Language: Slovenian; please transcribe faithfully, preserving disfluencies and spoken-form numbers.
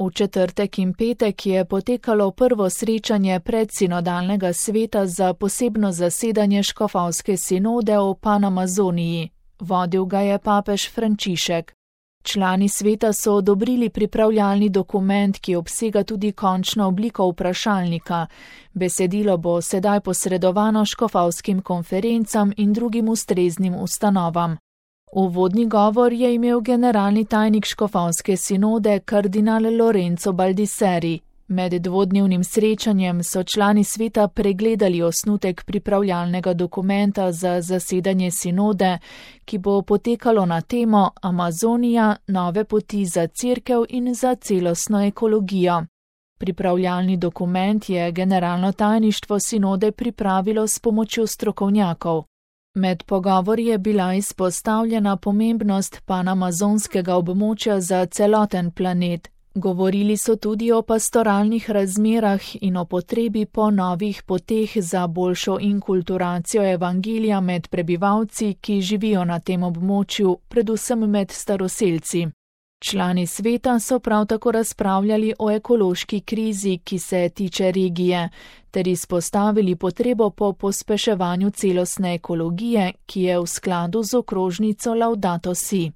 V četrtek in petek je potekalo prvo srečanje predsinodalnega sveta za posebno zasedanje škofovske sinode o Panamazoniji. Vodil ga je papež Frančišek. Člani sveta so odobrili pripravljalni dokument, ki obsega tudi končno obliko vprašalnika. Besedilo bo sedaj posredovano škofovskim konferencam in drugim ustreznim ustanovam. Uvodni govor je imel generalni tajnik škofovske sinode kardinal Lorenzo Baldisseri. Med dvodnevnim srečanjem so člani sveta pregledali osnutek pripravljalnega dokumenta za zasedanje sinode, ki bo potekalo na temo Amazonija, nove poti za cerkev in za celostno ekologijo. Pripravljalni dokument je generalno tajništvo sinode pripravilo s pomočjo strokovnjakov. Med pogovori je bila izpostavljena pomembnost panamazonskega območja za celoten planet. Govorili so tudi o pastoralnih razmerah in o potrebi po novih poteh za boljšo inkulturacijo evangelija med prebivalci, ki živijo na tem območju, predvsem med staroselci. Člani sveta so prav tako razpravljali o ekološki krizi, ki se tiče regije, ter izpostavili potrebo po pospeševanju celostne ekologije, ki je v skladu z okrožnico Laudato Si.